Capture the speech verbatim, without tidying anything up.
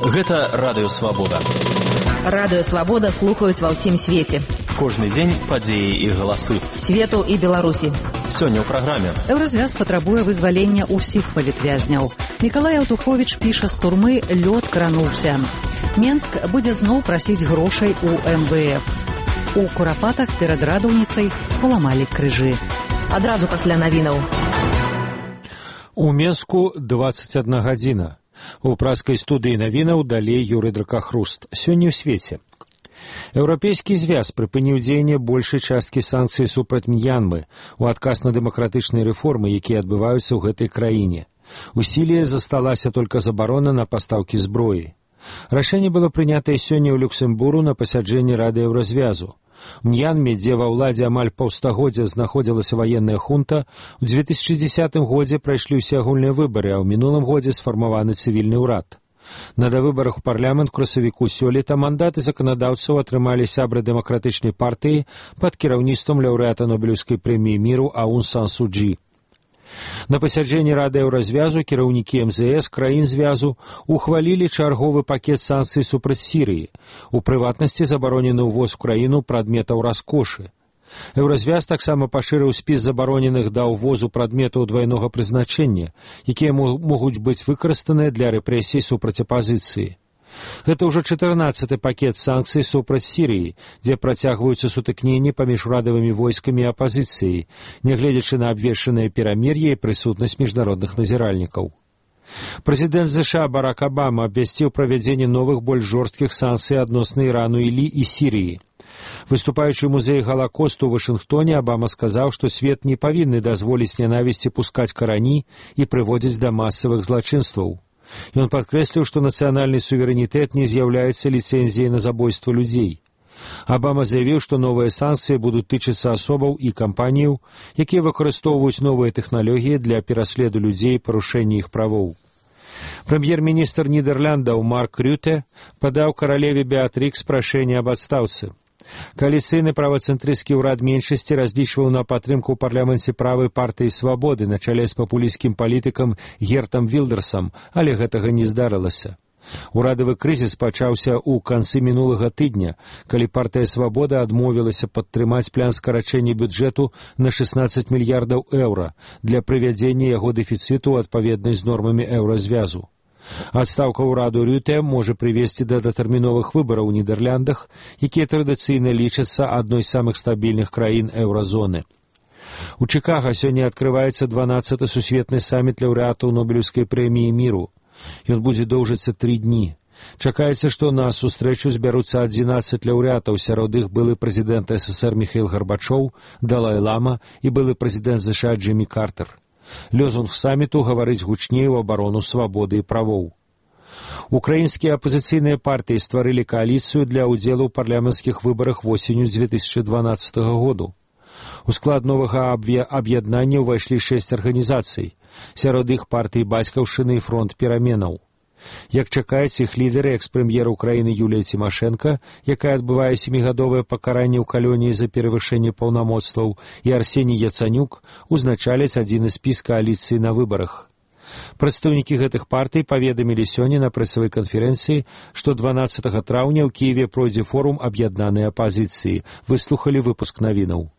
Гэта Радыё Свабода. Радыё Свабода слухаюць ва ўсім свеце. Кожны дзень падзеі і галасы. Свету і Беларусі. Сёння ў праграме. Еўразвяз патрабуе вызвалення ўсіх палітвязняў. Мікалай Аўтуховіч піша з турмы «Лёд крануўся». Менск будзе зноў прасіць грошай у эм вэ эф. У Курапатах перад радаўніцай паламалі крыжы. Адразу пасля навінаў. У Менску дваццаць адна гадзіна. У праскай студыі навінаў далей Юрый Дракахруст. Сёння ў свеце. Еўрапейскі звяз прыпыніў дзеянне большай часткі санкцый супраць М'янмы у адказ на дэмакратычныя рэформы, якія адбываюцца ў гэтай краіне. У сіле засталася толькі забарона на пастаўкі зброі. Рашэнне было прынятае сёння ў Люксембургу на пасяджэнні Рады Еўразвязу. У М'янме, дзе ва ўладзе амаль паўстагоддзя знаходзілася ваенная хунта, у дзве тысячы дзесятым годзе прайшлі ўсе агульныя выбары, а ў мінулым годзе сфармаваны цывільны ўрад. На давыбарах у парламент красавіку сёлета мандаты заканадаўцаў атрымалі сябры дэмакратычнай партыі пад кіраўніцтвам лаўрэата Нобелеўскай прэміі міру Аун Сан Су Чжі. На пасяджэнні Рады Еўразвязу кіраўнікі эм зэ эс краін звязу ухвалілі чарговы пакет санкцый супраць Сірыі, у прыватнасці забаронены ўвоз у краіну прадметаў раскошы. Еўразвяз таксама пашырыў спіс забароненых да ўвозу прадметаў двайнога прызначэння, якія могуць быць выкарыстаныя для рэпрэсій супраць апазіцыі. Гэта ўжо чатырнаццаты пакет санкцый супраць Сірыі, дзе працягваюцца сутыкненні паміж урадавымі войскамі і апазіцыяй, нягледзячы на абвешчанае перамір'е і прысутнасць міжнародных назіральнікаў. Прэзідэнт зэ ша Барак Абама абвясціў правядзенне новых больш жорсткіх санкцый адносна Ірану і Лі і Сірыі. Выступаючы ў музеі Галакосту ў Вашынгтоне, Абама сказаў, што свет не павінны дазволіць нянавісці пускаць карані і прыводзіць да масавых злачынстваў. Ён падкрэсліў, што нацыянальны суверэнітэт не з'яўляецца ліцэнзіяй на забойства людзей. Абама заявіў, што новыя санкцыі будуць тычыцца асобаў і кампаніяў, якія выкарыстоўваюць новыя тэхналогіі для пераследу людзей і парушэння іх правоў. Прэм'ер-міністр Нідерландаў Марк Рюте падаў каралеве Беатрыкс прашэнне аб адстаўцы. Кааліцыйны правацэнтрысцкі ўрад меншасці разлічваў на падтрымку ў парламенце правай партыі «Свабоды» на чале з папулісцкім палітыкам Гертам Вілдерсам, але гэтага не здарылася. Урадавы крызіс пачаўся ў канцы мінулага тыдня, калі партыя «Свабода» адмовілася падтрымаць план скарачэння бюджэту на шэснаццаць мільярдаў еўра для прывядзення яго дэфіцыту адпаведнай з нормамі еўразвязу. Адстаўка ўраду Рюте можа прывесці да датэрміновых выбараў у Нідерландах, якія традыцыйна лічацца адной з самых стабільных краін еўразоны. У Чыкага сёння адкрываецца дванаццаты сусветны саміт лаўрэатаў Нобелеўскай прэміі міру. Ён будзе доўжыцца тры дні. Чакаецца, што на сустрэчу збяруцца адзінаццаць лаўрэатаў, сярод іх былы прэзідэнт эс эс эр Міхаіл Гарбачоў, Далай-лама і былы прэзідэнт зэ ша Джымі Картер. Лёзунг саміту гаварыць гучней у абарону свабоды і правоў. Украінскія апазіцыйныя партыі стварылі кааліцыю для ўдзелу ў парламенцкіх выбарах восенню дзве тысячы дванаццатага году. У склад новага аб'яднання ўвайшлі шэсць арганізацый, сярод іх партыі бацькаўшчыны і фронт пераменаў. Як чакаецца, іх лідары, экс-прэм'ер Украіны Юлія Цімашэнка, якая адбывае сямігадовае пакаранне ў калоніі за перавышэнне паўнамоцтваў, і Арсеній Яцанюк узначаляць адзіны спіс кааліцыі на выбарах. Прадстаўнікі гэтых партый паведамілі сёння на прэсавай канферэнцыі, што дванаццатага траўня ў Кіеве пройдзе форум аб'яднанай апазіцыі. Выслухалі выпуск навінаў.